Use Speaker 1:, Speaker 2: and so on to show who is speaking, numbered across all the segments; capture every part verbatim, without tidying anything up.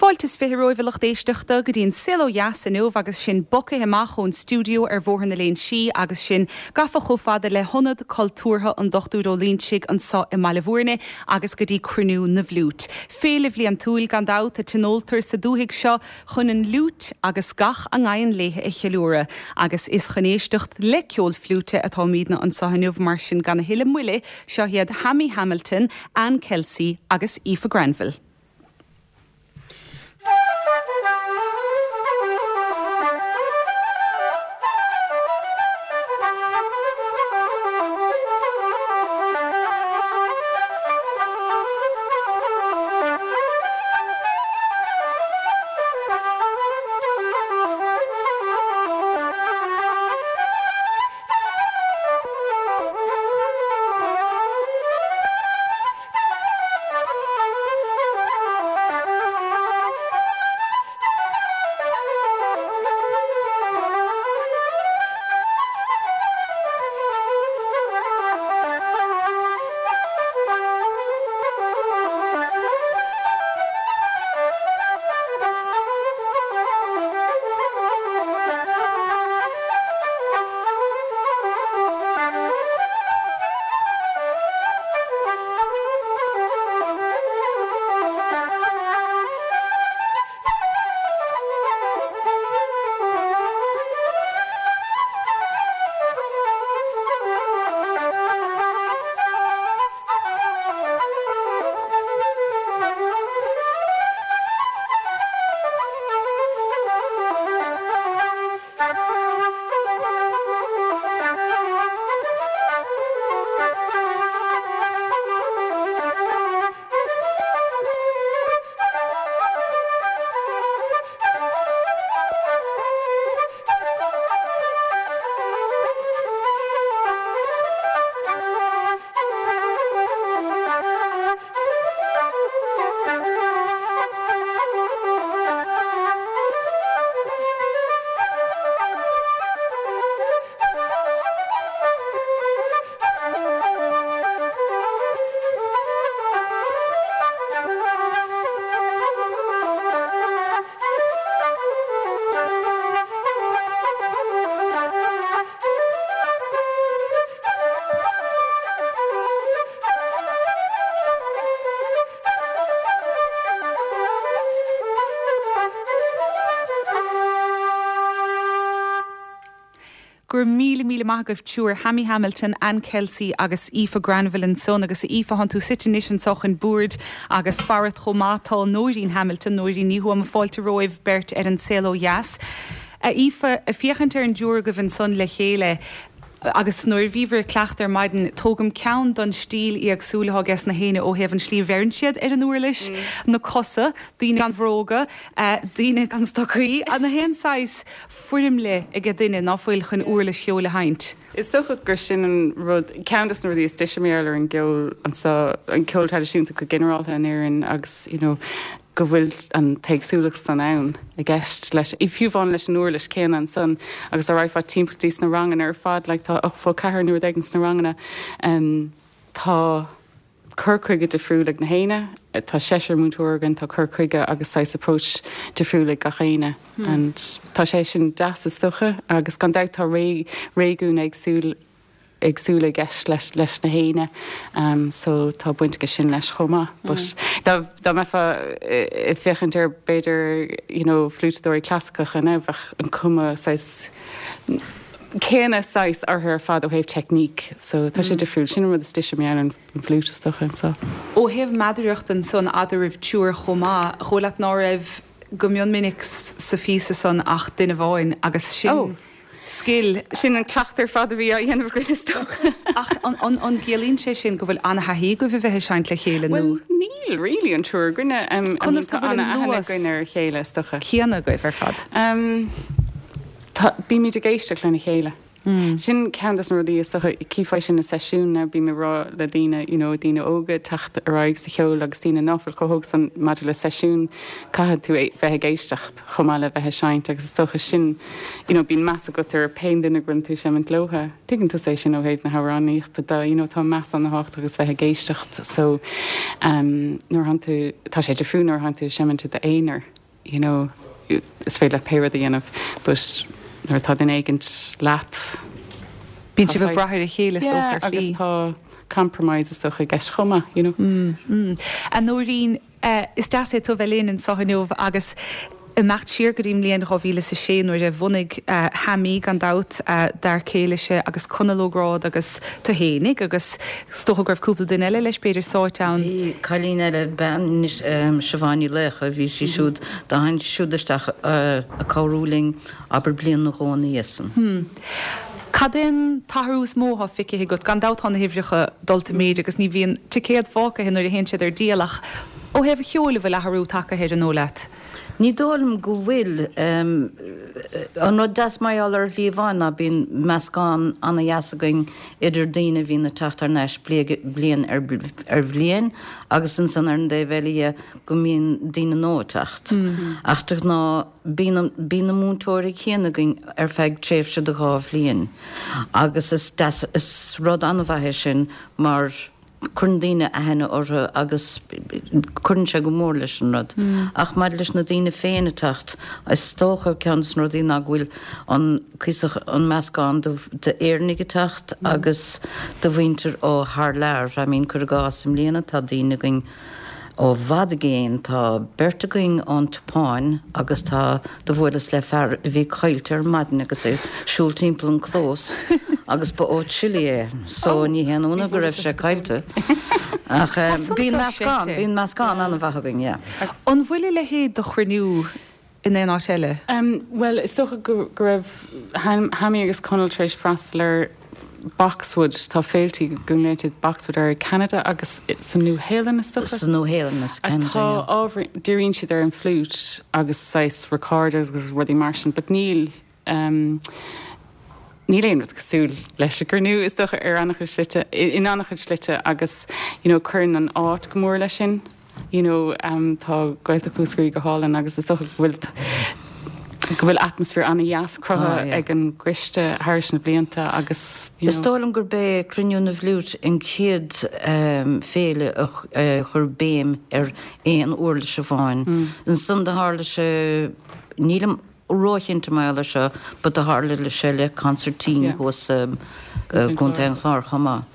Speaker 1: Fáilte is fiche romhaibh a lucht éisteachta go dtí an Saol Ó Dheas inniu agus sinn bogtha amach ón stiúideo ar Bhóthar na Léinsí agus sinn gafa chomh fada le hIonad Cultúrtha an Dochtúir Ó Loingsigh anseo i mBaile Bhúirne agus go dtí Cruinniú na bhFliút. Féile bhliantúil gan dabht a tionóltar sa dúthaigh seo chun an fhliúit agus gach a ngabhann léithe a cheiliúradh, agus is chun éisteacht le ceol fliúite atáimidne anseo inniu mar sin gan a thuilleadh moille seo iad Hammy Hamilton, Anne Kelsey agus Aoife Granville. Gur míle míle maith agaibh triúr Hammy Hamilton, Anne Kelsey agus Aoife Granville ansan agus Aoife thánn tú suite anois anseo chun boird agus farat chomh maith tá Nóirín Hamilton, Nóirín Ní Thuama fáilte romhaibh beirt ar an Saol Ó Dheas. A Aoife ag féachaint ar an dtriúr agaibh ansan le chéile agus nuair a bhíobhair ag cleachtadh ar maidin tógaim ceann don stíl éagsúil atá aige na héinne ó thaobh an slí a bheireann siad ar an uirlis, na cosa, daoine gan bhróga, daoine gan stocaí, an haon saghas foirmle ag duine ná fuil chun uirlis cheoil a sheinnt.
Speaker 2: Is dócha gur sin an rud ceann de na rudaí is deise mar ar an gceol anseo an ceol traidisiúnta go ginearálta in Éirinn agus you know, go bhfuil an t-éagsúlacht san ann i gceist leis i fiú amháin leis an uirlis céanna ansan agus a raibh timpeall sna ranganna ar fad le tá fá ceathair nó ag sna ranganna um, tá cur chuige difriúil ag na héinne, tá seisear múinteoir againn tá cur chuige agus saghas approach difriúil ag gach éinne. Hmm. And tá sé sin deas is dócha agus gan dabht tá ré réigiún éagsúil éagsúla i gceist leis leis na héinne um, so tá baint aige sin leis chomh maith. Mm. But dá dá mbeifeá ag féachaint ar b'fhéidir you know, fliútadóirí clasaiceacha ná bheadh an cuma saghas céanna saghas orthu ar fad ó thaobh teicníc, so tá sé mm. difriúil sin rud is deise mar an fliúit is dócha so.
Speaker 1: Ó thaobh meadaracht ansan eadraibh triúr chomh maith, chomh leat ná raibh go mion minic sa phíosa san ach duine amháin agus sin oh. scil
Speaker 2: sin an cleachtadh ar fad a bhí á dhéanamh againn is dócha.
Speaker 1: Ach an an gciallaíonn sé sin go bhfuil an-thaithí agaibh a bheith ag seinnt le chéile nó?
Speaker 2: Well, níl really an triúr againne um,
Speaker 1: Conas go bhfuil an luas
Speaker 2: againn ar a chéile is dócha.
Speaker 1: céanna agaibh ar fad.
Speaker 2: Um, Bímid ag éisteacht lena chéile. Mm. Sin ceann de na rudaí is dócha cífeá sin na seisiún na bí rá le daoine you know, daoine óga teacht ar aghaidh sa cheol agus daoine nach bhfuil chomh hóg san maidir le seisiún caithfidh tú bheith ag éisteacht chomh maith le bheith ag seinnt agus is dócha sin you know, bíonn meas agat ar pé duine go bhfuil tú ag seimint leotha. Tuigeann tú é sin ó thaobh na hamhránaíochta de you know, tá meas an-tábhachtach agus bheith ag éisteacht so um, nuair tú tá sé difriúil nuair atá tú ag seimint i d'aonar. you know, is féidir leat pé rud a dhéanamh, but nuair atá duine éigint leat.
Speaker 1: Bíonn sibh ag brath ar a chéile is dócha ar shlí.
Speaker 2: Agus tá compromise is dócha i gceist chomh maith, you know.
Speaker 1: Mm, mm. A Nóirín, is deas é tú bheith linn anseo inniu agus imeacht siar go dtí an mbliain dhá mhíle is a sé nuair a bhunaigh Hammy gan dabht, d'fhear céile-se agus Conall Ó Gráda agus tú fhéinig agus is dócha go raibh cúpla duine eile leis b'fhéidir sáite ann.
Speaker 3: Bhí cailín eile, bean anois, Siobhán Ní Laocha, bhí sí siúd, do tháinig sí siúd isteach ag cabhrú linn abair bliain nó dhó ina dhiaidh san.
Speaker 1: Cad é an t-athrú is mó atá feicthe agat? Gan dabht tá na huimhreacha dulta i méid agus ní bhíonn ticéad fágtha nuair a théann siad ar díol ach ó thaobh an cheoil an bhfuil athrú tagtha air an dóigh leat?
Speaker 3: Ní dóigh liom go bhfuil. An rud deas mar gheall ar an Chliabhán ná bíonn meascán ana-dheas againn idir daoine a bhíonn ag teacht thar n-ais bliain ar bhliain agus ansan ar an dtaobh eile dhe go mbíonn daoine nua ag teacht. Ach de ghnáth bíonn bíonn na múinteoirí céanna againn ar feadh tréimhse de dhá bhliain agus is deas is rud an-mhaith é sin mar Cuireann daoine aithne orthu agus cuireann sé go mór leis an rud. Ach maidir leis na daoine féin ag teacht, is dócha ceann de na rudaí ná go bhfuil an cuíosach, an meascán d'Éireannaigh ag teacht agus de mhuintir ó thar lear. I mean, cuir i gcás, i mbliana tá daoine againn ó bhfad i gcéin, tá beirt againn ón tSeapáin agus tá, do bhuaileas le fear a bhí caillte ar maidin agus é ag siúl timpeall an clós agus ba ó Chile é so ní haon ionadh go raibh sé caillte. Ach bíonn meascán, bíonn meascán an-mhaith againn, yeah.
Speaker 1: An bhfuil a leithéid de chruinniú in aon áit eile?
Speaker 2: Bhuel, is dócha go raibh Hammy agus Conall tar éis freastal ar Boxwood, tá féiltí go nglaonn siad Boxwood air i Canada agus sa Nua-Shéalainn is dócha.
Speaker 3: Sa Nua-Shéalainn is Canada,
Speaker 2: yeah. Atá ábhar, díríonn siad ar an fliúit agus saghas recorders agus rudaí mar sin but níl, níl aon rud cosúil leis an gcruinniú is dócha ar an-chuid slite, in an-chuid slite agus you know cuireann an áit go mór leis sin. You know tá Gaeltacht Mhúscraí go hálainn agus is dócha go bhfuil go bhfuil atmaisféar an-dheas cruthaithe ag an gcoiste thairis na blianta agus you know.
Speaker 3: Is dóigh liom gurb é Cruinniú na bhFliúit an chéad féile a chuir béim ar aon uirlis amháin. Ansan do tharla sé, nílim róchinnte mar gheall air seo but do tharla sé le consairtín thuas i gContae an Chláir chomh maith.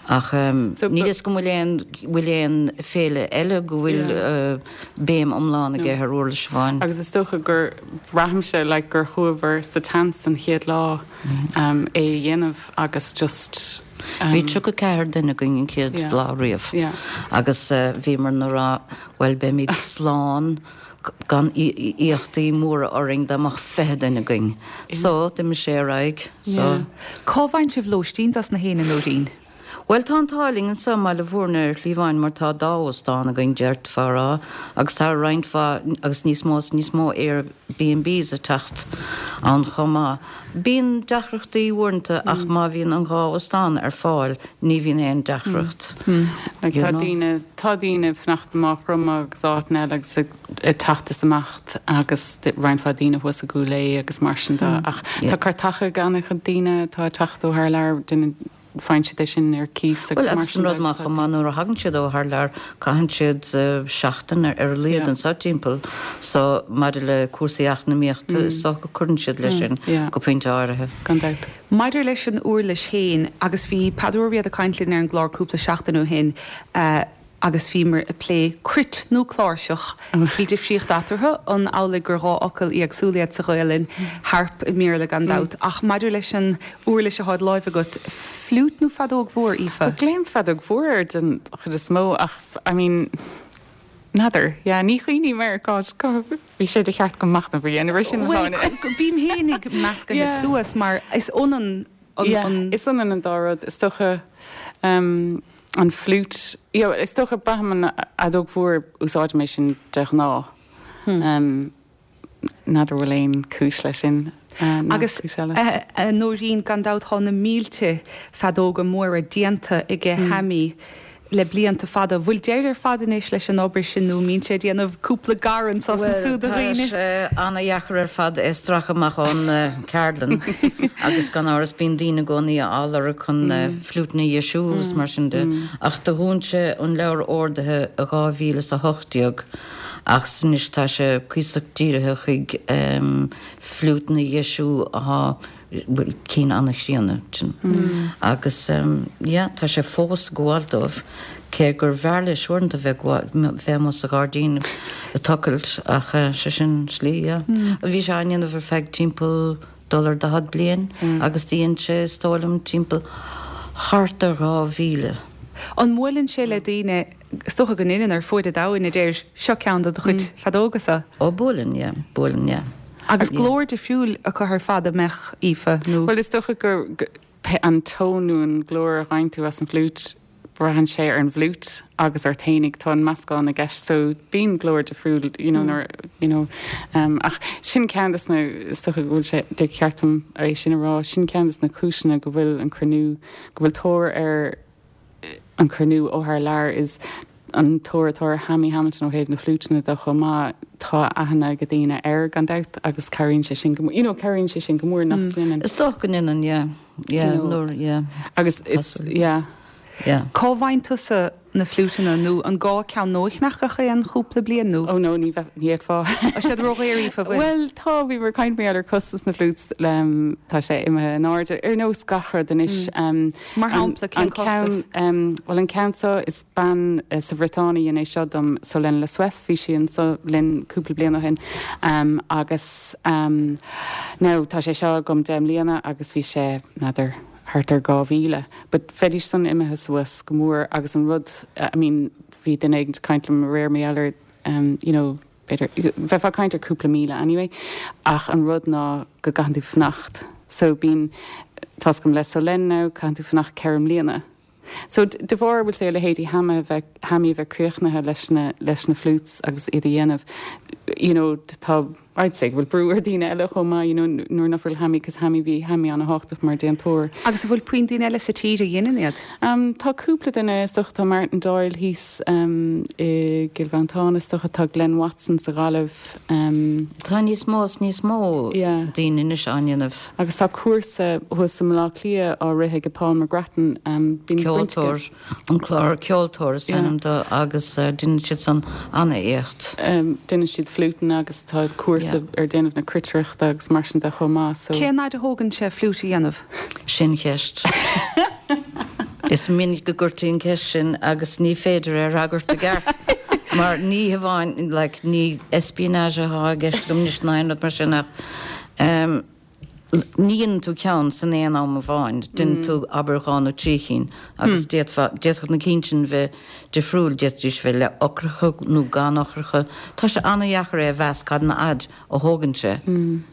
Speaker 3: Ach níl fhios agam bhfuil aon bhfuil aon féile eile go bhfuil béim iomlán aige ar uirlis amháin.
Speaker 2: Agus is dócha gur, braithimse like gur chuamar sa tseans an chéad lá é a dhéanamh agus just.
Speaker 3: Bhí tríocha ceathair duine againn an chéad lá riamh agus bhíomar ag rá bhuel beimid slán gan iachtaí móra orainn dá mbeadh fiche duine againn. So, d'imigh sé ar aghaidh. So.
Speaker 1: Cá bhfaigheann sibh lóistín dos na héinne, Nóirín?
Speaker 3: Bhuel, tá an t-ádh linn anseo i mBaile Bhúirne ar Chliabhán mar tá dá óstán againn, d'fhéadfá a rá, agus tá roinnt mhaith agus níos mó is níos mó Airbnbs ag teacht ann chomh maith. Bíonn deacrachtaí uaireanta ach má bhíonn an dhá óstán ar fáil ní bhíonn aon deacracht.
Speaker 2: Like tá daoine, tá daoine ag fanacht i Maigh Chromtha agus áiteanna eile agus ag teacht is imeacht agus roinnt mhaith daoine thuas i gCúil Aodha agus mar sin de ach tá cairteacha ag an-chuid daoine atá ag teacht ó thar lear, duine, faigheann siad é sin ar cíos
Speaker 3: agus mar sin de. Bhuel, agus an rud maith chomh maith nuair a thagann siad ó thar lear, caitheann siad seachtain ar a laghad anseo timpeall so maidir le cúrsaí eacnamaíochta is dócha go cuireann siad leis sin go pointe áirithe.
Speaker 2: Gan dabht.
Speaker 1: Maidir leis an uirlis féin, agus bhí Peadar Ó Riada ag caint linn ar an gclár cúpla seachtain ó shin, agus bhíomar ag plé cruit nó cláirseach. Bhí difríocht eatarthu, an amhlaidh gur dhá fhocal éagsúla iad sa Ghaelainn, harp i mBéarla gan dabht. Ach maidir leis an uirlis atá i do láimh agat, fliúit nó feadóg mhór, Aoife?
Speaker 2: Glaoim feadóg mhór air den chuid is mó ach I mean, n'fheadar, yeah, ní chuimhním air, God, bhí sé de cheart agam machnamh a dhéanamh air sin.
Speaker 1: Bhuel, bím féin ag meascadh suas mar is ionann an.
Speaker 2: Yeah, is ionann an dá rud, is dócha. An fliúit, yeah, is dócha, braithim an fheadóg mhór, úsáidim é sin de ghnáth. N'fheadar bhfuil aon cúis leis sin
Speaker 1: nó cúis eile. Agus a Nóirín, gan dabht tá na mílte feadóga móra déanta aige Hammy le blianta fada. Bhfuil deireadh ar fad anois leis an obair sin nó an mbíonn sé ag déanamh cúpla gar anso is
Speaker 3: Bhuel,
Speaker 1: ansúd do
Speaker 3: tá
Speaker 1: dhaoine?
Speaker 3: sé ana-dheacair ar fad é a stracadh amach ón cheardlann agus gan amhras bíonn daoine i gcónaí á lorg chun fliúiteanna a dheisiú is mar sin de. Ach do dhún sé an leabhar orduithe i dhá mhíle is a hocht déag Ach anois tá sé cuíosach dírithe chuig fliúiteanna a dheisiú atá bhuel cinn an-chríonna agus yeah tá sé fós ag gabháil dóibh cé gur bhfearr leis uaireanta bheith bheith amuigh sa ghairdín ag tochailt ach sé sin slí yeah. Bhí sé á ndéanamh ar feadh timpeall dul ar daichead bliain agus dhein sé is dóigh liom timpeall thart ar dhá mhíle.
Speaker 1: An mbuaileann sé le daoine, is dócha go ndéanann, ar fuaid an domhain a deir seo ceann de do chuid feadógasa?
Speaker 3: Ó buaileann, yeah, buaileann, yeah.
Speaker 1: Agus glór difriúil acu ar fad an mbeadh, Aoife,
Speaker 2: nó? Bhuel is dócha gur an tón nó an glór a fhaigheann tú as an bhfliúit, braitheann sé ar an bhfliúit agus ort fhéinig, tá an meascán i gceist so bíonn glór difriúil you know nuair you know um, ach sin ceann des na is dócha go bhfuil sé de cheart dom é sin a rá, sin ceann des na cúiseanna go bhfuil an cruinniú, go bhfuil tóir ar an cruinniú ó thar lear is an tóir atá ar Hammy Hamilton ó thaobh na fliúiteanna de chomh maith, tá aithne ag daoine air gan dabht agus cabhraíonn sé sin go you know cabhraíonn sé sin go mór nach ndéanann.
Speaker 3: Is dócha go ndéanann, yeah, yeah, nuair, yeah.
Speaker 2: Agus is, yeah.
Speaker 3: Yeah.
Speaker 1: Cá bhfaigheann tusa na fliúiteanna nó an gá ceann nua a cheannach gach aon chúpla bliain nó?
Speaker 2: Oh no, ní bheith, ní fhéadfá.
Speaker 1: Tá siad ródhaor, Aoife, bhfuil?
Speaker 2: Bhuel, tá, bhíomar ag caint mar gheall ar costas na bhfliúits, tá sé imithe in airde, ar nós gach rud anois.
Speaker 1: Mar shampla, cén costas?
Speaker 2: Bhuel, an ceann seo, is bean sa Bhriotáin a dhein é seo dom, Solène Le Souef, bhí sí anseo linn cúpla bliain ó shin, agus now tá sé seo agam deich mbliana agus bhí sé, n'fheadar, thart ar dhá mhíle. But bheidís san imithe suas go mór agus an rud, I mean, bhí duine éigin ag caint liom aréir mar gheall ar, you know, b'fhéidir, bheifeá ag caint ar cúpla míle anyway, ach an rud ná go gcaitheann tú fanacht. So bíonn, tá's agam le Solène now, caitheann tú fanacht ceithre mbliana. So de bharr, we'll say, a leithéidí Hammy a bheith, Hammy a bheith críochnaithe leis na, leis na flutes agus iad a dhéanamh, you know, tá, I'd say go bhfuil brú ar daoine eile chomh maith, you know, nuair nach bhfuil Hammy, cos Hammy, bhí Hammy an-thábhachtach mar déantóir.
Speaker 1: Agus an bhfuil puinn daoine eile sa tír a dhéanann iad?
Speaker 2: Um, tá cúpla duine, is dócha, tá Martin Doyle thíos um, i gCill Mhantáin, is dócha, tá Glenn Watson sa Ghaillimh. Um,
Speaker 3: tá níos mó is níos mó
Speaker 2: yeah.
Speaker 3: daoine anois á ndéanamh.
Speaker 2: Agus tá cúrsa thuas i mBaile Átha Cliath á rith ag Paul McGrattan. Um,
Speaker 3: Ceoltóir, an clár Ceoltóir is ainm dó agus uh, déanann siad san an-éacht.
Speaker 2: Um, déanann siad fliúiteanna agus tá cúrsa ar déanamh na cruitireachta agus mar sin de chomh maith. So.
Speaker 1: Cén fhad a thógann sé fliúit a dhéanamh?
Speaker 3: Sin ceist. Is minic go gcuirtí an ceist sin agus ní féidir é a fhreagairt i gceart. Mar ní hamháin like, ní espionage atá i gceist agam anois ná aon rud mar sin ach um, Ní dhéanann tú ceann san aon am amháin, déanann tú abair dhá nó trí chinn agus d'fhéadfá, d'fhéadfadh na cinn sin bheith difriúil, d'fhéadfaidís bheith le eochracha nó gan eochracha. Tá sé an-dheacair é a mheas cad an fhad a thógann sé.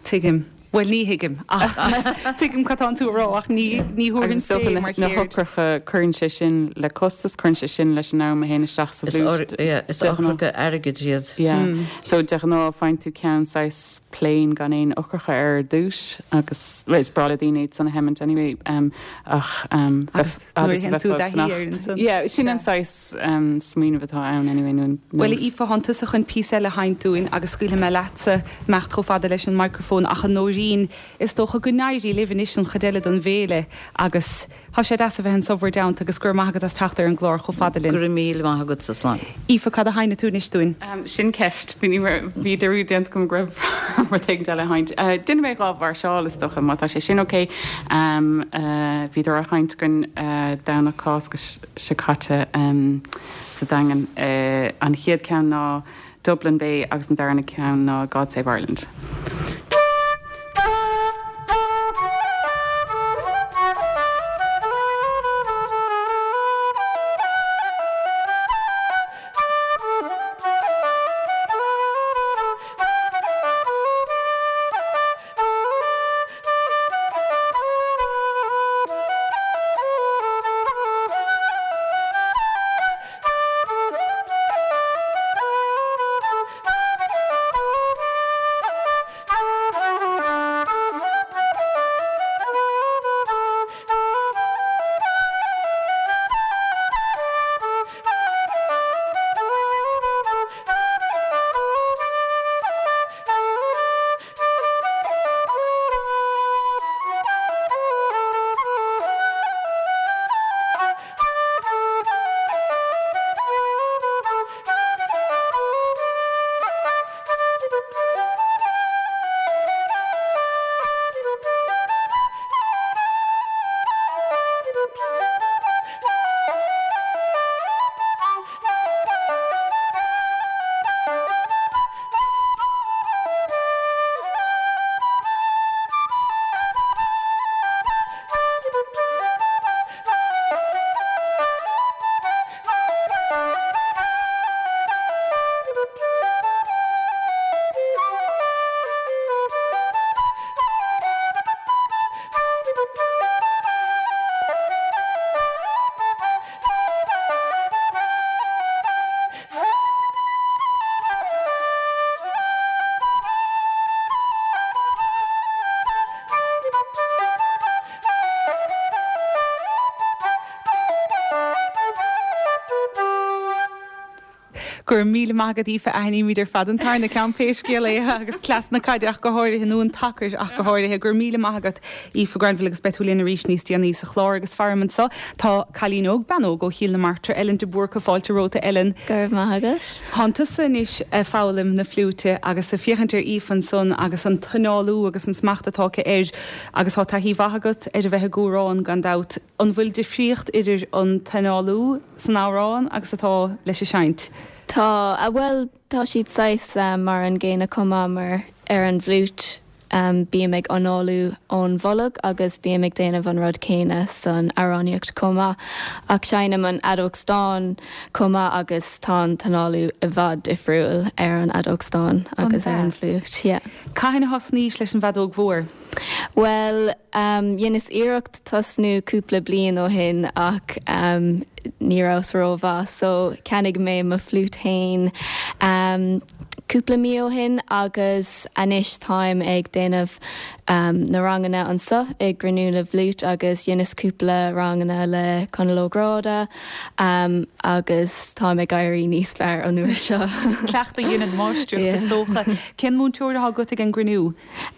Speaker 1: Tuigim. Bhuel, ní thuigim ach tuigim cad tánn tú a rá ach ní ní
Speaker 2: Agus
Speaker 1: thabharfainn
Speaker 2: is dócha
Speaker 1: fé
Speaker 2: na
Speaker 1: mar
Speaker 2: na
Speaker 1: cheird.
Speaker 2: heochracha, cuireann sé sin le costas, cuireann sé sin leis an am a théann isteach sa
Speaker 3: Is
Speaker 2: bhfliúit.
Speaker 3: yeah, is
Speaker 2: De ghnáth.
Speaker 3: eochracha airgid iad.
Speaker 2: Yeah. So de ghnáth faigheann tú ceann saghas plain gan aon eochracha air ar dtús agus well, is breá le daoine iad san a sheimint anyway um, ach um,
Speaker 1: Agus nuair a théann tú i dtaithí air ansan.
Speaker 2: Yeah, sin an saghas um, smaoineamh atá ann anyway nó
Speaker 1: Bhuel, a Aoife, thánn tusa chun píosa eile a sheinnt dúinn agus scaoilfidh mé leatsa imeacht chomh fada leis an micreafón ach a Nóirín, is dócha go n-éirí libh anois an chuid eile den bhféile agus Tá sé deas a bheith anso bhur dteannta agus go raibh maith agat as teacht ar an gclár chomh fada linn.
Speaker 3: Go raibh míle maith agatsa, slán.
Speaker 1: Aoife, cad a sheinnfidh tú anois dúinn?
Speaker 2: Sin ceist. Bhí dearúd déanta agam go raibh rud éigin eile a sheinnt. Déanfaidh mé dhá mháirseáil is dócha, má tá sé sin ok. Bhíodar á sheinnt againn Domhnach Cásca seo caite sa Daingean. An chéad ceann ná Dublin Bay agus an darna ceann ná God Save Ireland.
Speaker 1: Go raibh míle maith agat Aoife aithnímid ar fad an tarna ceann pé scéal é agus cleas na caide ach go háirithe nó an tacair ach go háirithe go raibh míle maith agat Aoife Granville agus beidh tú linn arís níos déanaí sa chlár agus faram anseo tá cailín óg bean óg ó Chill na Martra Ellen de Búrca fáilte romhat Ellen.
Speaker 4: Go raibh maith agat.
Speaker 1: Tá tusa anois ag foghlaim na fliúite agus ag féachaint ar Aoife ansan agus an t-análú agus an smacht atá aici air agus tá taithí mhaith agat ar a bheith ag amhrán gan dabht. An bhfuil difríocht idir an t-análú san amhrán agus atá leis an seinnt.
Speaker 4: Tá a bhfuil tá siad saghas um, mar an gcéanna chomh maith mar ar an bhfliúit um, bím ag análú ón bholg agus bím ag déanamh an rud céanna san amhránaíocht chomh maith ach seinnim an fheadóg stáin chomh maith agus tá an t-análú i bhfad difriúil ar an fheadóg stáin agus ar an bhfliúit. Yeah.
Speaker 1: Cathain a thosnaís leis an bhfeadóg mhór.
Speaker 4: Well, um, dheineas iarracht tosnú cúpla bliain ó shin ach um, ní rabhas rómhaith, so cheannaigh mé mo fhliúit féin um, cúpla mí ó shin agus anois táim ag déanamh um, na ranganna anseo i gCruinniú na bhFliút agus dheineas cúpla ranganna le Conal Ó Gráda um, agus táim ag éirí níos fearr an uair seo.
Speaker 1: Cleachtadh a dhéanann máistreacht is dócha. Cén múinteoir atá agat ag an gcruinniú?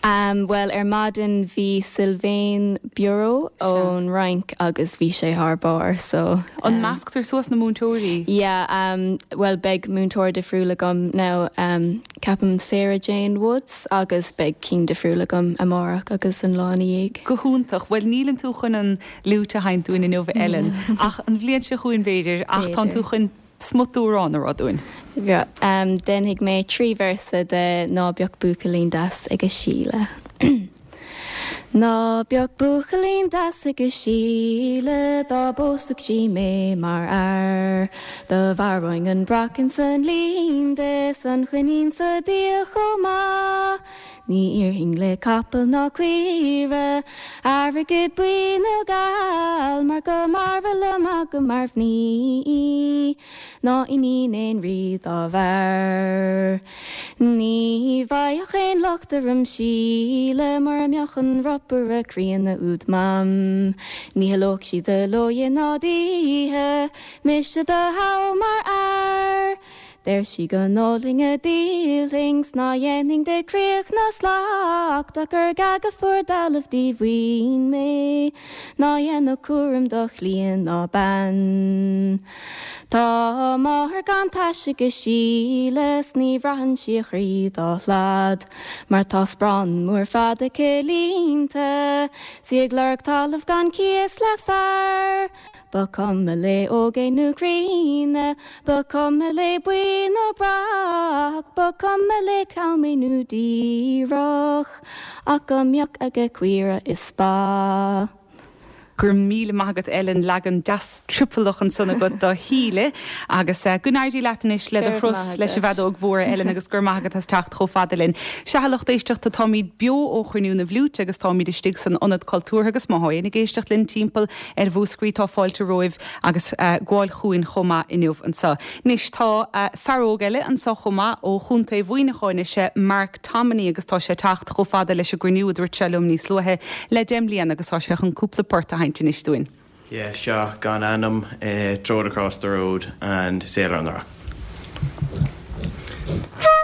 Speaker 4: Um, well ar maidin bhí Sylvain Bureau ón Fhrainc agus bhí sé thar barr so
Speaker 1: An measctar suas na múinteoirí?
Speaker 4: Yeah, um, well beidh múinteoir difriúil agam now um, ceapaim Sarah Jane Woods agus beidh cinn difriúil agam amárach agus an lá ina dhiaidh.
Speaker 1: Go hiontach, well níl tú chun an fhliúit a sheinnt dúinn inniu Ellen ach an bhliain seo chugainn b'fhéidir ach tá tú chun smut amhráin a rá dúinn.
Speaker 4: Yeah, um, déanfaidh mé trí véarsa de Ná Beadh Buachaillín Deas ag Síle. Ná beadh buachaillín deas ag Síle dá bpósfadh sí mé mar fhear. Do mharóinn an brachán san linn de san choinín sa dtír chomh maith. Ní iarrfainn le capall ná caoire, airgead buí nó geal, mar go mb'fhearr liom agam mar mhnaoi, ná iníon aon rí dá bhfear. Ní bheadh aon locht orm Síle mura mbeadh an ropaire críonna úd Mam. Ní chodlódh sí de ló ná d'oíche, mise do thoghadh mar fhear. Deir sí go n-ólfainn a dhíolfainn 's ná dhéanfainn de chríoch ná slacht ach gur gá go fuair dealbh díomhaoin mé, ná dhéanfadh cúram do chliain ná bean. Tá máthair gan taise ag Síle 's ní bhraitheann sí a croí dá shlad, mar tá sparán mór fada aici líonta, 's í ag lorg talamh gan cíos le fear. Ba cuma léi óg é nó críonna, Ba cuma léi buí nó breac, Ba cuma léi cam é nó díreach, ach go mbeadh aige caora is ba.
Speaker 1: Go raibh míle maith agat Ellen leagan deas triopallach ansan agat do Shíle agus uh, go n-éirí leat anois le do thuras leis an bhfeadóg mhór Ellen agus gur maith agat as teacht chomh fada linn. Sea a lucht éisteachta táimid beo ó Chruinniú na bhFliút agus táimid istigh san ionad cultúrtha agus má théann ag éisteacht linn timpeall ar Mhúscraí tá fáilte romhaibh agus uh, gabháil chugainn chomh maith inniu anseo. Anois tá uh, fear óg eile anseo chomh maith ó Chontae Mhuineacháin is é Mark Tomany agus tá sé teacht chomh fada leis an gcruinniú a dúirt sé liom níos luaithe le deich mbliana agus tá sé chun cúpla port a sheinnt anois dúinn.
Speaker 5: Yeah, seo gan ainm uh, Throw It Across the Road and Sailor on the Rock.
Speaker 6: Thank you.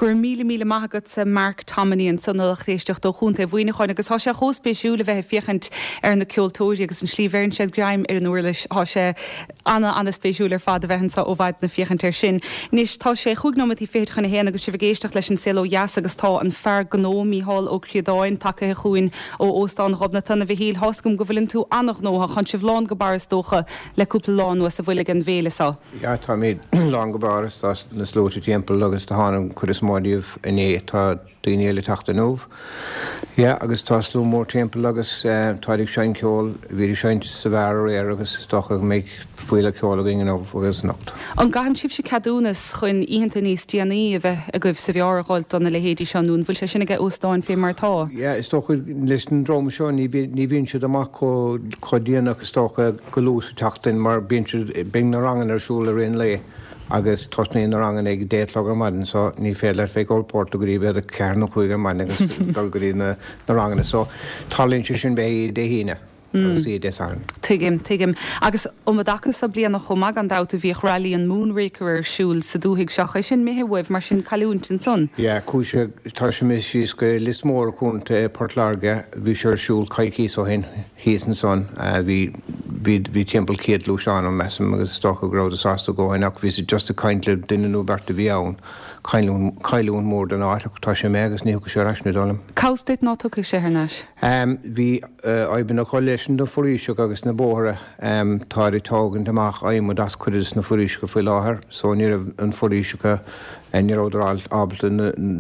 Speaker 1: Go raibh míle míle maith agatsa Mark Tomini ansan a lucht éisteachta ó Chontae Mhuineacháin agus tá sé chomh spéisiúil a bheith ag féachaint ar na ceoltóirí agus an slí bheireann siad greim ar an uirlis tá sé ana ana-spéisiúil ar fad a bheith anseo ó mhaidin ag féachaint air sin. Anois tá sé chúig nóiméad fichead chun a haon agus sibh ag éisteacht leis an Saol Ó Dheas agus tá an fear gnó Mícheál Ó Críodáin tagtha chugainn ó Óstán Ghobnatan a Mhichíl tá a fhios agam go bhfuileann tú an-ghnóthach tá sibh lán go barr is dócha le cúpla lá anuas a bhuille den bhféile seo.
Speaker 6: Ja táimid lán go barr tá na sluaite timpeall agus tá an chuid is mó díobh inné tá daoine eile ag teacht inniu. Ja agus tá slua mór timpeall agus tá ag seinnt ceol bhí ag seinnt sa bheár aréir agus is dócha go mbeidh fuíoll ceoil againn inniu agus anocht.
Speaker 1: An gcaitheann sibhse ceadúnas chun oícheanta níos déanaí a bheith agaibh sa bheár a dhul do na leithéidí seo nó an bhfuil sé sin ag óstáin fé mar tá?
Speaker 6: Ja is dócha leis an dream seo ní ní bhíonn siad amach chomh déanach is dócha go luath sa tseachtain mar bíonn siad bíonn na ranganna ar siúl ar aon lae. agus tosnaíonn na ranganna ag deich a chlog ar maidin so ní féidir leat bheith ag ól port go dtí b'fhéidir ceathair nó cúig ar maidin agus dul go dtí na na ranganna so tarlaíonn sé sin b'fhéidir Dé hAoine agus Dé Sathairn.
Speaker 1: Tuigim, tuigim. Agus um an dtaca seo bliana chomh maith gan dabht a bhíodh Rally an Moonraker ar siúl sa dúthaigh seo é sin imithe uaibh mar sin cailliúint ansan.
Speaker 6: Ja, chuaigh sé tá sé imithe síos go Lios Mór Contae Port Láirge bhí sé ar siúl coicís ó shin thíos ansan bhí bhí bhí timpeall céad gluaisteán ann measaim agus is dócha go rabhadar sásta a dhóthain ach bhí siad just ag caint le duine nó beirt a bhí ann cailliúint cailliúint mór don áit ach tá sé imithe agus ní thiocfaidh sé ar ais ní dóigh liom.
Speaker 1: Cá bhfios duit ná tiocfaidh sé thar n-ais?
Speaker 6: Bhí fadhbanna acu leis na foraoiseacha agus na bóithre táid ag tógaint amach adhmad as cuid de na foraoiseacha faoi láthair so ní raibh an foraoiseacha ní rabhadar ábalta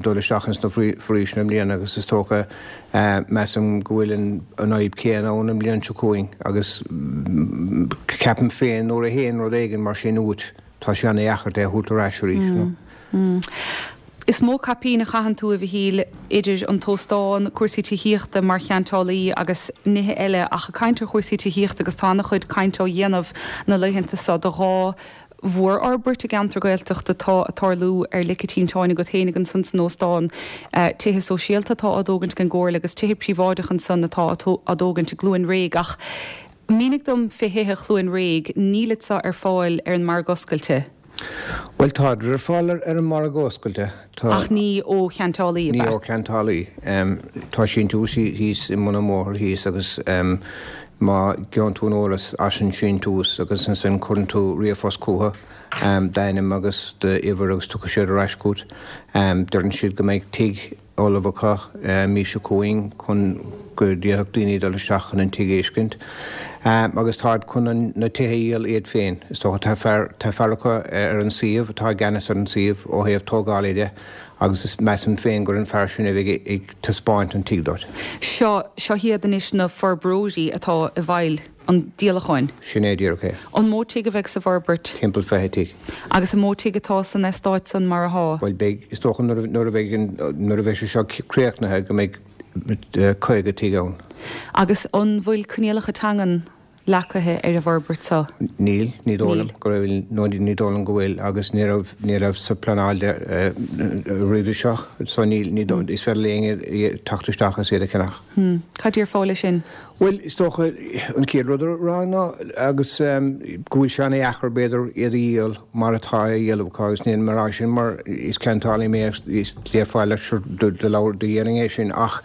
Speaker 6: dul isteach ins na foraoiseanna i mbliana agus is dócha measaim go bhfuil an fhadhb céanna ann an bhliain seo chugainn agus ceapaim féin nuair a théann rud éigin mar sin uait tá sé an-dheacair é a thabhairt ar ais arís.
Speaker 1: Is mó caipín a chaitheann tú a Mhichíl idir an t-óstán, cúrsaí tithíochta mar cheantálaí agus nithe eile ach ag caint ar chúrsaí tithíochta agus tá an-chuid caint á dhéanamh na laethanta seo do dhá mhórfhorbairt i gceantar Gaeltachta atá ag tarlú ar lic an tinteáin agat féinig ansan san óstán, tithe sóisialta atá á dtógaint ag an gComhairle agus tithe príobháideacha ansan atá á dtógaint i gCluain Réidh ach mínigh dom fé thithe Chluain Réidh, nílid seo ar fáil ar an margadh oscailte?
Speaker 6: Bhuel táid ar fáil ar an margadh oscailte. Tá.
Speaker 1: Ach ní ó cheantálaí, ab
Speaker 6: Ní
Speaker 1: ea?
Speaker 6: ó cheantálaí. Tá síntiús thíos i mbun an bhóthair thíos agus má gheobhann tú an eolas as an síntiús agus ansin cuireann tú ríomhphost chucu, d'ainm agus d'uimhir agus tiocfaidh siad ar ais chugat. Deireann siad go mbeidh tigh ullamh acu mí seo chugainn chun go bhféadfadh daoine dul isteach chun an tigh a fheiscint. Agus táid chun na tithe a dhíol iad féin. Is dócha tá fear tá fear acu ar an suíomh atá i gceannas ar an suíomh ó thaobh tógála de agus is measaim féin gur an fear sin a bheidh ag taispeáint an tigh duit.
Speaker 1: Seo seo hiad anois na forbróirí atá i bhfeighil an díolacháin.
Speaker 6: Sin é díreach é.
Speaker 1: An mó tigh a bheidh sa bhforbairt?
Speaker 6: Timpeall fiche tigh.
Speaker 1: Agus an mó tigh atá san eastát san mar athá?
Speaker 6: Bhuel beidh, is dócha nuair a bheidh an, nuair a bheidh sé seo críochnaithe go mbeidh caoga tigh ann.
Speaker 1: Agus an bhfuil coinníollacha teangan leagtha ar an bhforbairt seo?
Speaker 6: Níl, ní dóigh liom
Speaker 1: Níl.
Speaker 6: go bhfuil, nó ní dóigh liom go bhfuil agus ní raibh, ní raibh sa pleanáil roimhe seo so níl, ní dóigh, is féidir le éinne teacht isteach agus iad a cheannach.
Speaker 1: Hmm. Cad déarfá leis sin?
Speaker 6: Bhuel, is dócha, an chéad rud a rá ná agus go bhfuil sé an-dheacair, b'fhéidir, iad a dhíol mar atá á dhíol acu agus nílim ag rá sin mar is ceantálaí mé agus is déarfá leat sure do labhair do dhéanfainn é sin ach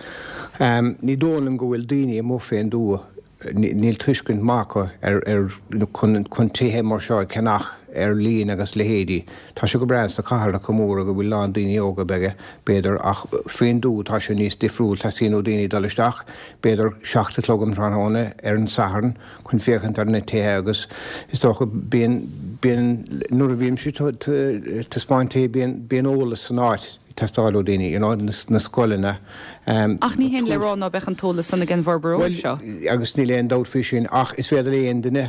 Speaker 6: ní dóigh liom go bhfuil daoine amuigh fén dtuath, níl tuiscint maith acu ar ar chun chun tithe mar seo a cheannach ar líne agus leithéidí. Tá sé go breá sna cathracha móra go bhfuil lán daoine óga beaga, b'fhéidir, ach faoin dtuath tá sé níos difriúil, teastaíonn ó daoine dul isteach, b'fhéidir, seacht a chlog um tráthnóna ar an Satharn chun féachaint ar na tithe agus is dócha bíonn, bíonn, nuair a bhímse ag taispeáint tithe bíonn, bíonn eolas san áit ag teastáil ó daoine, you know, na scoileanna,
Speaker 1: Ach ní hin le rá ná beadh an t-eolas san ag an bhforbróir
Speaker 6: Bhuel,
Speaker 1: seo.
Speaker 6: agus níl aon dabht faoi sin ach is féidir le aon duine,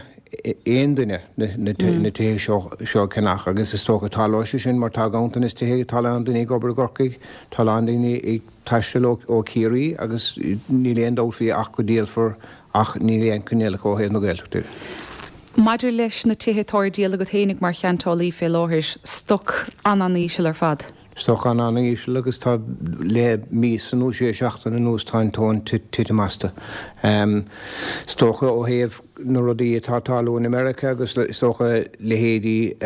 Speaker 6: aon duine na tithe seo a cheannach agus is dócha tarlóidh sé sin mar tá ganntanas tithe, tá a lán daoine ag obair i gCorcaigh, tá a lán daoine ag taisteal ó Chiarraí agus níl aon dabht faoi ach go díolfar ach níl aon coinníollacha ó thaobh na Gaeltachta de.
Speaker 1: Maidir leis na tithe atá ar díol agat fhéinig mar cheantálaí fé láthair, stoc an-an-íseal ar fad.
Speaker 6: Stoc an-an-íseal agus tá le míosa nó sé seachtaine anuas tá an tóin titim astu. Is dócha ó thaobh na rudaí atá ag tarlú in America agus is dócha leithéidí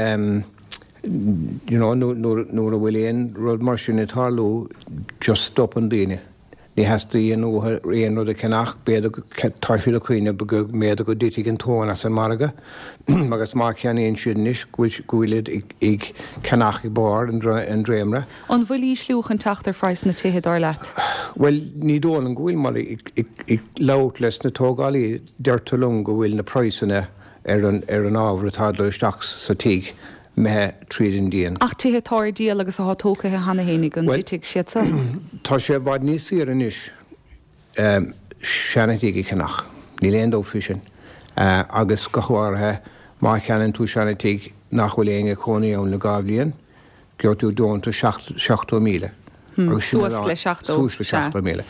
Speaker 6: you know, nuair a bhfuil aon rud mar sin ag tarlú, just stopann daoine. Ní theastaíonn uathu aon rud a cheannach, b'fhéidir tá siad ag cuimhneamh go mb'fhéidir go dtitfidh an tóin as an margadh agus má cheannaíonn siad anois go bhfuil siad ag ceannach ag barr an dréimire.
Speaker 1: An bhfuil ísliú chun teacht ar phraghas na tithe, dar leat?
Speaker 6: Bhuel, ní dóigh liom go bhfuil mar ag labhairt leis na tógálaí deirtear liom go bhfuil na praghsanna ar an ar an ábhar atá ag dul isteach sa tigh imithe tríd an díon.
Speaker 1: Ach tithe atá ar díol agus atá tógtha cheana fhéinig, an dtitfidh siad san?
Speaker 6: Tá sé i bhfad níos saoire anois seana-thigh a cheannach, níl aon dabht faoi sin, agus go háirithe má cheannaíonn tú seana-tigh nach bhfuil éinne ag cónaí ann le dhá bhliain, gheobhaidh tú deontas seachtó míle.
Speaker 1: Suas le seachtó.
Speaker 6: Suas le seachtó míle.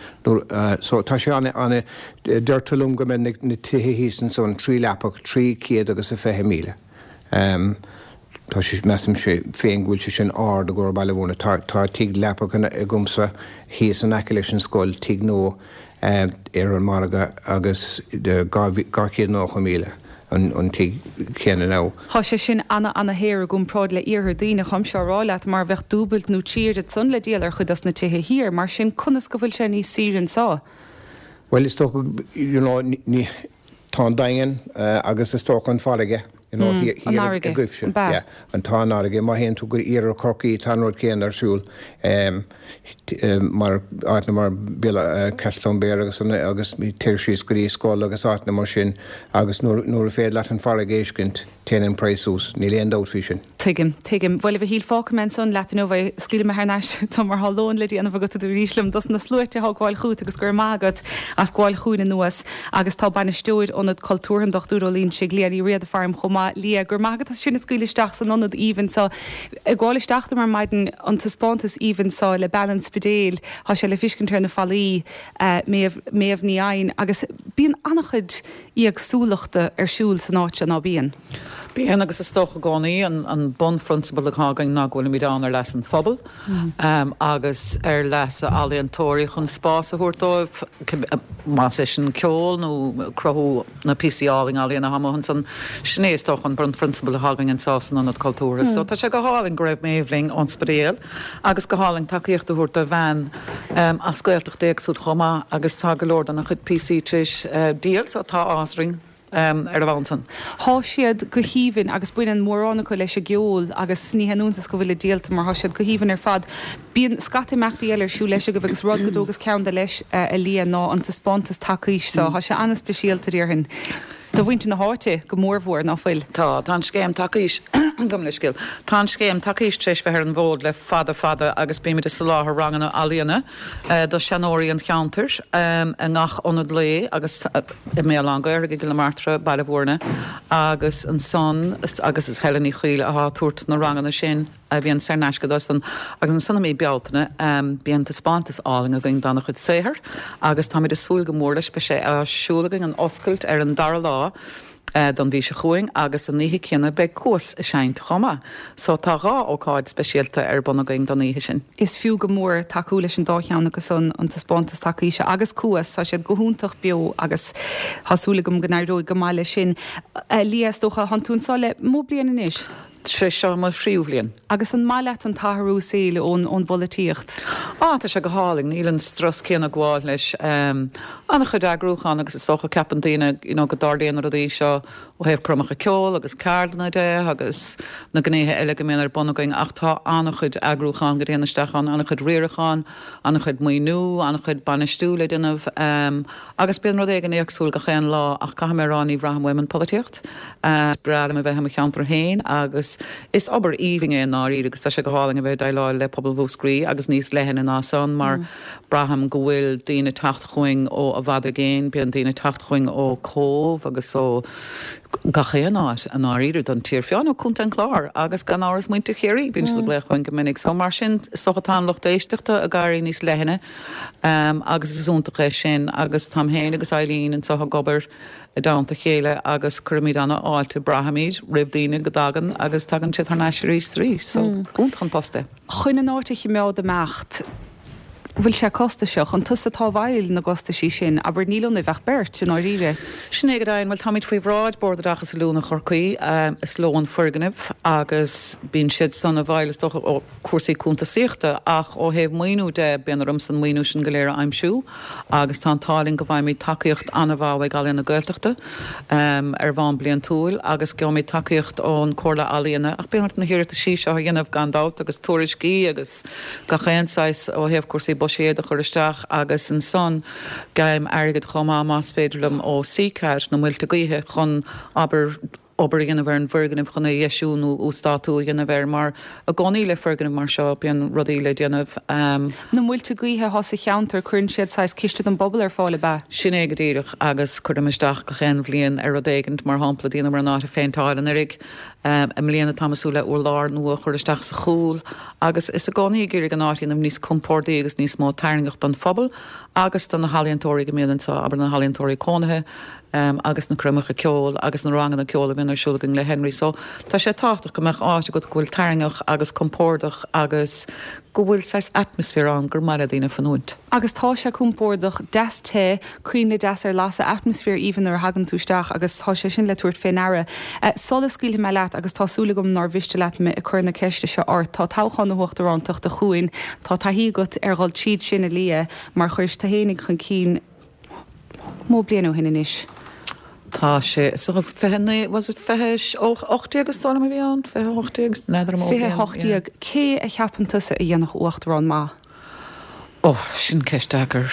Speaker 6: So tá sé ana, ana, deirtear liom go mbeidh na tithe thíos ansan trí leapach trí chéad agus a fiche míle. Tá sé, measaimse féin go bhfuil sé sin ard i gcomhair Baile Bhúirne. Tá, tá tigh leapach agamsa thíos in aice leis an scoil, tigh nua ar an margadh agus dhá, dhá chéad nócha míle an, an tigh céanna now.
Speaker 1: Tá sé sin ana, ana shaor i gcomparáid le iarthar daoine, táimse á rá leat, mar bheadh dúbailt nó trí oiread san le díol ar chuid dos na tithe thiar. Mar sin, conas go bhfuil sé níos saoire anseo?
Speaker 6: Bhuel, is dócha, you know, ní, tá an Daingean agus is dócha an farraige, you know,
Speaker 1: An
Speaker 6: thiar
Speaker 1: fharraige,
Speaker 6: agaibhse.
Speaker 1: an bea?
Speaker 6: Yeah, an tá an fharraige. Má théann tú go iarthar Chorcaí tá an rud céanna ar siúl mar áiteanna mar Béal Castletownbere agus an agus téir síos go dtí Schull agus áiteanna mar sin agus nuair nuair a féidir leat an farraige a fheiscint téann an praghas suas. Níl aon dabht faoi sin.
Speaker 1: Tuigim, tuigim. Bhuel, a Mhichíl, fágfaidh mé ansan leat inniu é. Scaoilfidh mé thar n-ais tú mar tá lón le déanamh agat arís liom dos na sluaite atá ag gabháil chugat agus go raibh maith agat as gabháil chugainn anuas agus tá bainisteoir Ionad Cultúrtha an Dochtúir Ó Loingsigh, Liadh Ní Riada faram chomh maith. Liadh, go raibh maith agat as sinn a scaoileadh isteach san ionad aoibhinn so. Ag gabháil isteach dom ar maidin an taispeántas aoibhinn so le bean an Spidéil, tá sé le fiscint ar na fallaí, Méabh, Méabh Ní Eidhin agus bíonn an-chuid éagsúlachta ar siúl san áit seo, ná bíonn?
Speaker 7: Bíonn agus is dócha i gcónaí an, an bunphrionsabal atá againn ná go bhfuilimid ann ar leas an phobail agus ar leas ealaíontóirí chun spás a thabhairt dóibh, más é sin ceol nó cruthú na píosaí álainn ealaíona atá amuigh ansan. Sin é is dócha an bunphrionsabal atá againn anseo san Ionad Cultúrtha. So tá sé go hálainn go raibh Méabh linn ón Spidéal agus go hálainn tacaíocht a thabhairt do bhean as Gaeltacht éagsúil chomh maith agus tá go leor dena chuid píosaí tar éis díol so tá áthas orainn ar a bhonn san.
Speaker 1: Tá siad go haoibhinn agus baineann mórán acu leis an gceol agus ní haon iontas go bhfuil siad díolta mar tá siad go haoibhinn ar fad. Bíonn scata imeachtaí eile ar siúl leis agaibh agus rud go dtógas ceann de leis a Liadh ná an taispeántas tacaois so. Tá sé an-speisialta déarfainn. Do mhuintir na háite go mórmhór, ná fuil?
Speaker 7: Tá, tá an scéim tacaois, gabh mo leithscéal, tá an scéim tacaois tar éis bheith ar an bhfód le fada fada agus bímid ag soláthar ranganna ealaíona do sheanóirí an cheantair i ngach ionad lae agus i mBéal Átha an Ghaorthaidh, i gCill na Martra, Baile Bhúirne agus ansan agus is Helen Ní Chaoil atá ag tabhairt na ranganna sin. a bhíonn saor in aisce dóibhsan agus ansan i mí Bealtaine bíonn taispeántas álainn againn dá chuid saothair agus táimid ag súil go mór leis. Beidh sé á siúl againn an oscailt ar an dara lá don mhí seo chugainn agus an oíche céanna beidh Cuas ag seinnt chomh maith. So tá dhá ócáid speisialta ar bun againn don oíche sin.
Speaker 1: Is fiú go mór tacú leis an dá cheann acu san, an taispeántas tacaoise agus Cuas, tá siad go hiontach beo agus tá súil agam go n-éireoidh go maith leis sin. Liadh, is dócha, thánn tú anseo le mó bliain anois?
Speaker 7: Sé seo mo thríú bhliain.
Speaker 1: Agus an maith leat an t-athrú saoil ón ón bpolaitíocht?
Speaker 7: Á, tá sé go hálainn. Níl an strus céanna ag gabháil leis. An-chuid eagrúchán agus is dócha ceapann daoine you know go dtarlaíonn na rudaí seo ó thaobh coirmeacha ceoil agus ceardlanna de agus na gnéithe eile go mbíonn ar bun againn ach tá an-chuid eagrúchán go dtéann isteach ann, an-chuid riaracháin, an-chuid maoiniú, an-chuid bainistiú le déanamh agus bíonn rud éigin éagsúil gach aon lá ach caithfidh mé a rá ní bhraithim uaim an pholaitíocht. Is breá liom a bheith i mo cheantar féin agus is obair aoibhinn é i ndáiríre agus tá sé go hálainn a bheith ag déileáil le pobal Mhúscraí agus níos leithne ná san mar braithim go bhfuil daoine ag teacht chugainn ó i bhfad i gcéin, bíonn daoine ag teacht chugainn ó Cóbh agus ó gach aon áit i ndáiríre don tír, fiú ó Contae an Chláir agus gan amhras muintir Chiarraí, bíonn siad ag glaoch chugainn go minic. So mar sin is dócha tá an lucht éisteachta ag éirí níos leithne agus is iontach é sin agus táim féin agus Eileen anseo ag obair i dteannta a chéile agus cuirimid an-fháilte, braithimid, roimh daoine go dtagann agus tagann siad thar n-ais arís is arís. So iontach an post é.
Speaker 1: Chun an áit a chimeád ag imeacht, Bhfuil sé costasach? An tusa atá i bhfeighil na gcostaisí sin? Abair, níl ionaibh ach beirt, i ndáiríre.
Speaker 7: Sin é go deimhin. Bhuel, táimid faoi bhráid Bord Oideachais Oiliúna Chorcaí. Is leo an foirgneamh agus bíonn siad san i bhfeighil, is dócha, ó cúrsaí cuntasaíochta ach ó thaobh maoiniú de, bíonn ormsa an maoiniú sin go léir a aimsiú agus tá an t-ádh linn go bhfaighimid tacaíocht an-mhaith ó Ealaíon na Gaeltachta ar bhonn bliantúil agus gheobhaimid tacaíocht ón Chomhairle Ealaíona ach bíonn ort na hiarrataisí seo a dhéanamh gan dabht agus tuairiscí agus gach aon saghas ó thaobh cúrsaí buiséid a chur isteach agus ansan gabhaim airgead chomh maith más féidir liom ó CCAD, na muilte gaoithe, chun abair obair a dhéanamh ar an bhfoirgneamh chun é a dheisiú nó uasdátú a dhéanamh air mar i gcónaí le foirgneamh mar seo bíonn rudaí le déanamh.
Speaker 1: Na muilte gaoithe atá sa cheantar, cuireann siad saghas ciste don bpobal ar fáil, ab ea?
Speaker 7: Sin é go díreach agus cuirim isteach gach aon bhliain ar rud éigint, mar shampla dheineamar an áit a phéinteáil anuraidh, I mbliana táim ag súil le urlár nua a chur isteach sa chúl agus is i gcónaí ag iarraidh an áit a dhéanamh níos compórdaí agus níos mó tarraingeach don phobal agus do na healaíontóirí go mbíonn anseo, abair na healaíontóirí cónaithe agus na coirmeacha ceoil agus na ranganna ceoil a bhíonn ar siúl againn le Henry. So tá sé tábhachtach go mbeadh áit agat go bhfuil tarraingeach agus compordach agus go bhfuil saghas atmaisféar ann gur maith le daoine fanúint.
Speaker 1: Agus tá sé compordach, deas te, coinnle deas ar lasadh, atmaisféar aoibhinn nuair a thagann tú isteach agus tá sé sin le tabhairt fé ndeara. Sula scaoilfidh mé leat, agus tá súil agam nár mhiste leat mé ag cur na ceiste seo ort, tá toghchán na huachtarántachta chugainn, tá taithí agat ar dhul tríd sin, a Lia, mar chuiris tú fhéinig chun cinn mó bliain ó shin anois.
Speaker 7: Tá sé, so fiche naoi, was it fiche ocht déag is dóigh liom a bhí ann, fiche hocht déag, n'fheadar an mó
Speaker 1: Fiche hocht déag. Cé a cheapann tusa a dhéanfadh uachtarán maith?
Speaker 7: Ó, sin ceist deacair.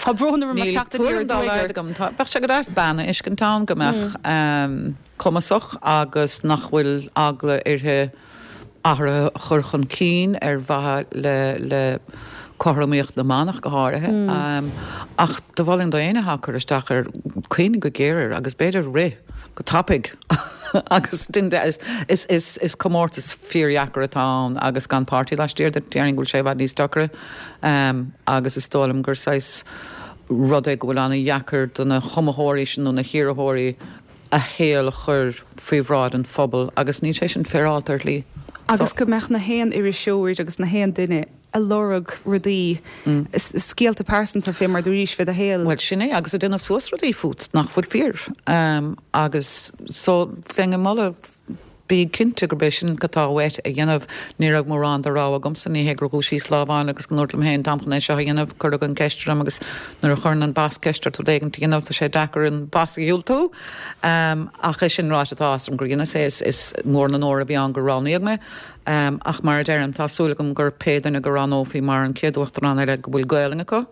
Speaker 1: Tá brón orm as
Speaker 7: Níl
Speaker 1: teacht aniar
Speaker 7: tuairim dá
Speaker 1: aduaidh
Speaker 7: laghad
Speaker 1: ort.
Speaker 7: agam. Tá, bheadh sé go deas bean a fheiscint ann go mbeadh cumasach agus nach bhfuil eagla uirthi athruithe a chur chun cinn ar mhaithe le le cothromaíocht na mban ach go háirithe. Ach do mholfainn d'éinne atá ag cur isteach air cuimhnigh go géar air agus b'fhéidir rith go tapaidh agus is is is comórtas fíordheacair atá ann agus gan páirtí laistiar de, déarfainn go bhfuil sé i bhfad níos deacra agus is dóigh liom gur saghas rud é go bhfuil an-dheacair do na hiomaitheoirí sin nó na hiarrthóirí a shaol a chur faoi bhráid an phobail agus níl sé sin féaráilte ar shlí.
Speaker 1: Agus go mbeadh na haon iriseoir agus na haon duine ag lorg rudaí, scéalta pearsanta fé mar dúraís fé do shaol.
Speaker 7: Bhuel, sin é, agus ag déanamh suas rudaí fút nach bhfuil fíor. Agus so, bheinn ag moladh, bí cinnte gurb é sin atá uait a dhéanamh. Ní raibh mórán de rogha agamsa, ní hé gur dhúisíos lá amháin agus go ndúrt liom féin, táim chun é seo a dhéanamh. Cuireadh an ceist orm agus nuair a chuireann an boss ceist ort rud éigin a dhéanamh, tá sé deacair an boss a dhiúltú. Ach é sin ráite, tá áthas orm gur dheineas é, is mór an onóir a bhí ann gur roghnaíodh mé. Ach mar a deirim, tá súil agam gur pé duine go roghnófaí mar an chéad Uachtarán eile go bhfuil Gaelainn acu,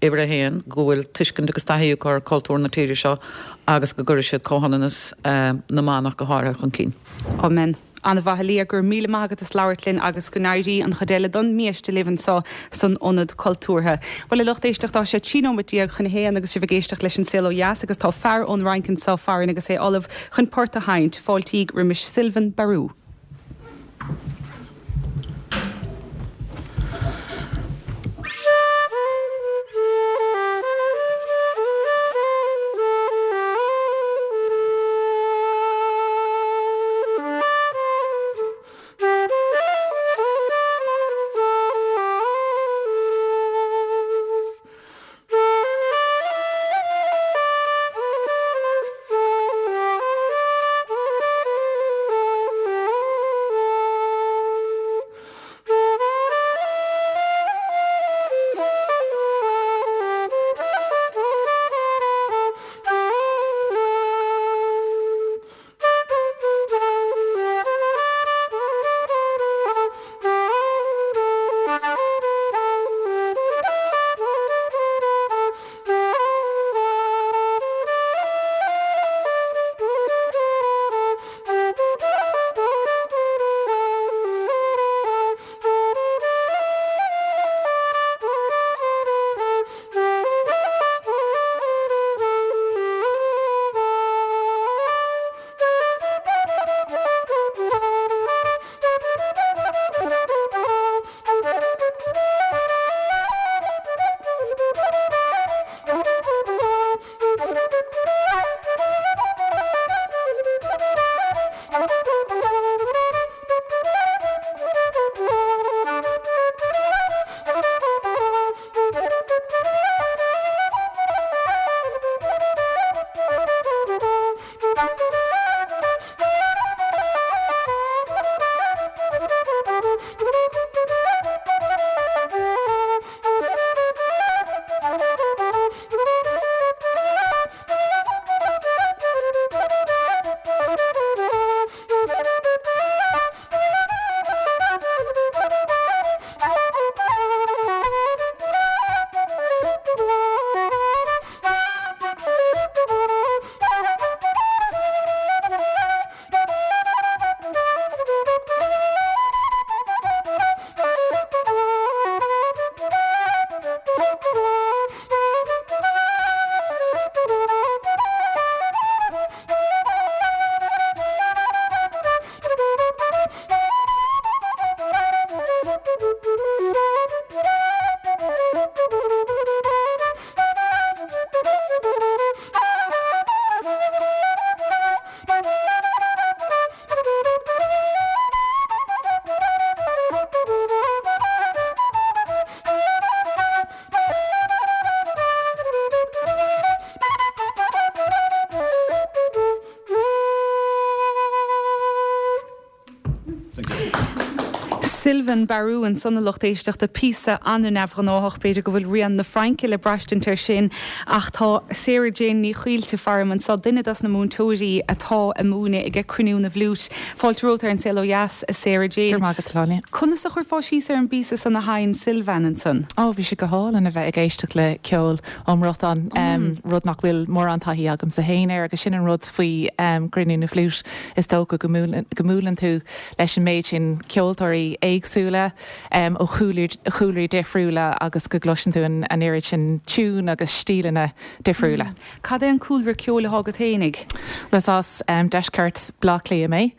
Speaker 7: uimhir a haon, go bhfuil tuiscint agus taithí acu ar chultúr na tíre seo agus go gcuirfidh siad comhionannas na mban ach go háirithe chun cinn.
Speaker 1: Amen. An-mhaith, a Lia, go raibh míle maith agat as labhairt linn agus go n-éirí an chuid eile don mbiaiste libh anseo san Ionad Cultúrtha. Bhuel, a lucht éisteachta, tá sé trí nóiméad déag chun a haon agus sibh ag éisteacht leis An Saol Ó Dheas agus tá fear ón Fhrainc anseo farainn agus é ullamh chun port a sheinnt. Fáiltíg roimis Sylvain Barou. Sylvain Barou ansan a lucht éisteachta píosa an-neamhghnách b'fhéidir go bhfuil rian na Fraince le braistint air sin ach tá Sarah Jane Ní Chaoilte faram anso duine dos na múinteoirí atá ag múineadh ag Cruinniú na bhFliút. Fáilte romhat ar an Saol Ó Dheas a Sarah Jane.
Speaker 2: Go raibh maith agat Sláine.
Speaker 1: Conas a chuirfeá síos ar an bpíosa san a sheinn Sylvain ansan?
Speaker 2: Ó bhí sé go hálainn a bheith ag éisteacht le ceol ón mBriotáin mm. rud nach bhfuil mórán taithí agamsa féin air agus sin an rud faoi um, Cruinniú na bhFliút is dócha go mbuaileann tú leis an méid sin ceoltóirí éagsúla um, ó chúlraí difriúla agus go gcloiseann tú an, an oiread sin tiún agus stíleanna difriúla.
Speaker 1: Mm. Cad é an cúlra ceoil atá agat fhéinig?
Speaker 2: Is as um, deisceart Bhaile Átha Cliath mé.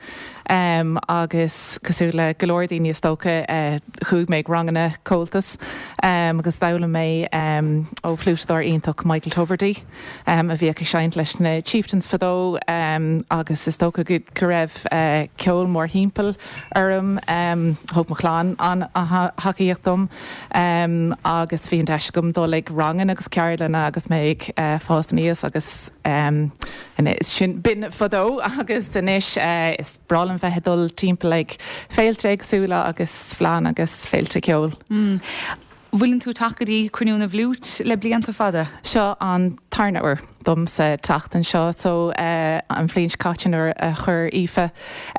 Speaker 2: Um, agus cosúil le go leor daoine is dócha uh, chuaigh mé ag ranganna Comhaltas um, agus d'fhoghlaim mé um, ó fhliútadóir iontach Michael Tubridy um, a bhí ag seinnt leis na Chieftains fadó um, agus is dócha go, go raibh uh, ceol mórthimpeall orm um, thug mo chlann an-tacaíocht dom um, agus bhí an deis agam dul ag ranganna agus ceardlanna agus mé ag uh, fás aníos agus um, sin b'in fadó agus anois uh, is breá liom bheith ag dul timpeall ag féilte éagsúla agus fleánna agus féilte ceoil.
Speaker 1: Mm. Bhfuileann tú ag teacht go dtí Cruinniú na bhFliút le blianta fada?
Speaker 2: Seo an tarna huair domsa teacht anseo so uh, an bhliain seo caite nuair a chuir Aoife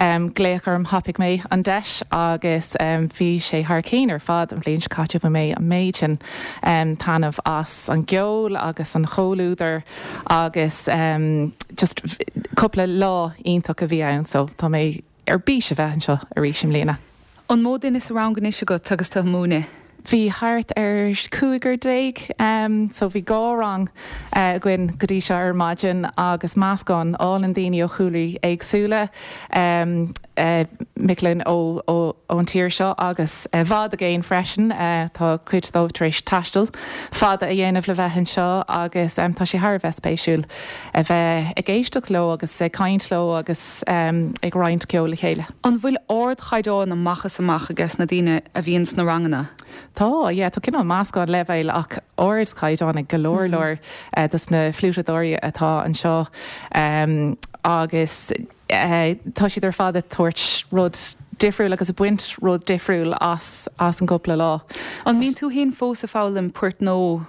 Speaker 2: um, glaoch orm thapaigh mé an deis agus um, bhí sé thar cinn ar fad an bhliain seo caite bhain mé an méid sin um, taitneamh as an gceol agus an comhluadar agus um, just cúpla lá iontach a bhí ann so tá mé ar bís a bheith anseo arís i mbliana.
Speaker 1: An mó duine sa rang anois agat agus tú ag múineadh?
Speaker 2: Bhí thart ar cúigear déag um, so bhí dhá rang uh, againn go dtí seo ar maidin agus meascán álainn daoine ó chúlraí éagsúla um, uh, mic léinn ó ón tír seo agus i uh, bhfad i gcéin freisin uh, tá cuid dóibh tar éis taisteal fada a dhéanamh le bheith anseo agus um, tá sé thar a bheith spéisiúil a bheith ag éisteacht leo agus ag caint leo agus um, ag roinnt ceol le chéile.
Speaker 1: An bhfuil ardchaighdeán amach is amach ages na daoine a bhíonn sna ranganna?
Speaker 2: Tá yeah, tá cineál meascán leibhéal ach ardchaighdeán ag go leor leor uh, dos na fliútadóirí atá anseo um, agus uh, tá siad ar fad ag tabhairt rud difriúil agus ag baint rud difriúil as as an gcúpla lá.
Speaker 1: An mbíonn tú féin fós ag foghlaim port nó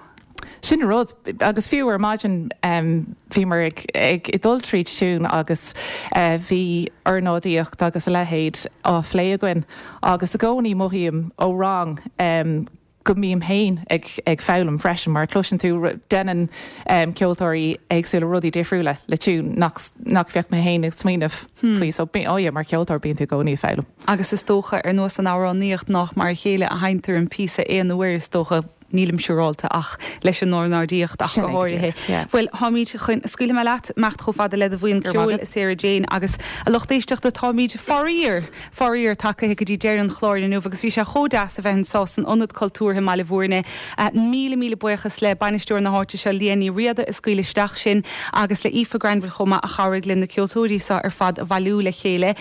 Speaker 2: Sin rud agus fiú ar maidin um, bhíomar ag, ag ag dul tríd tiún agus uh, bhí ornáidíocht agus a leithéid á phlé againn agus i gcónaí mothaím ó rang um, go mbím féin ag, ag foghlaim freisin mar cloiseann tú déanann um, ceoltóirí éagsúla rudaí difriúla le tiún nach, nach bheadh mé féin ag smaoineamh hmm. faoi so oh yeah, mar ceoltóir bíonn tú i gcónaí ag foghlaim.
Speaker 1: Agus is dócha ar nós an amhránaíocht nach mar a chéile a sheinntear an píosa aon uair is dócha nílim siúráilte ach leis an ornáidíocht ach go háirithe. Bhuel táimid chun scaoileadh leat imeacht chomh fada le do bhuíon ceoil Sarah Jane agus a lucht éisteachta táimid faraor faraor tagtha go dtí deireadh an chláir inniu agus bhí sé chomh deas a bheith anseo san Ionad Cultúrtha i mBaile Bhúirne míle míle buíochas le bainisteoir na háite seo Liadh Ní Riada a scaoil isteach sinn agus le Aoife Granville chomh maith a chabhraigh linn na ceoltóirí seo ar fad a bhailiú le chéile.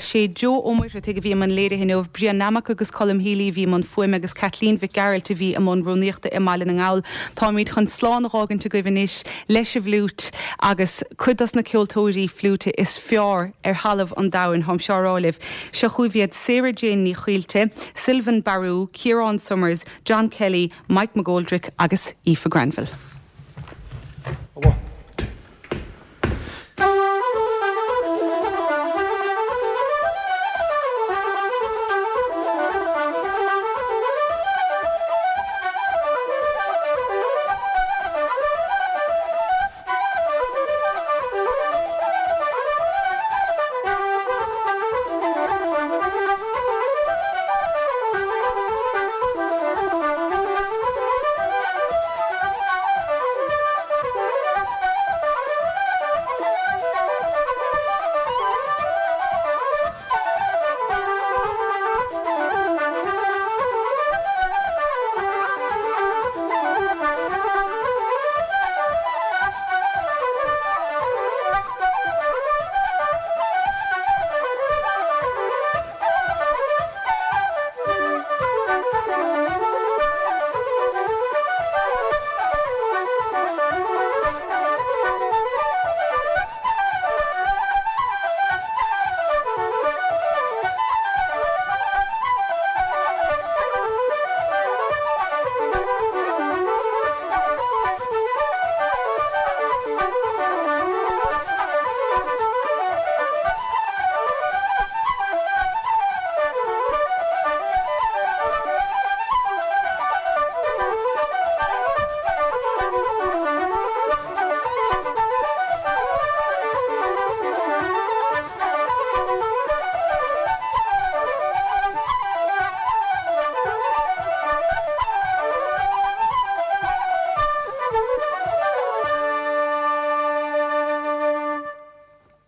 Speaker 1: Sé Joe Ó Muircheartaigh a bhí i mbun léirithe inniu Brian Nammock agus Colm Healy a bhí i mbun fuaime agus Kathleen Mhic Gearailt a bhí i mbun rúnaíochta i mBaile na nGall. Táimid chun slán a fhágaint agaibh anois leis an bhfliúit agus cuid dos na ceoltóirí fliúite is fearr ar thalamh an domhain táim seo á rá libh. Seo chugaibh iad Sarah Jane Ní Chaoilte, Sylvain Barou, Ciarán Summers, John Kelly, Mike McGoldrick agus Aoife Granville.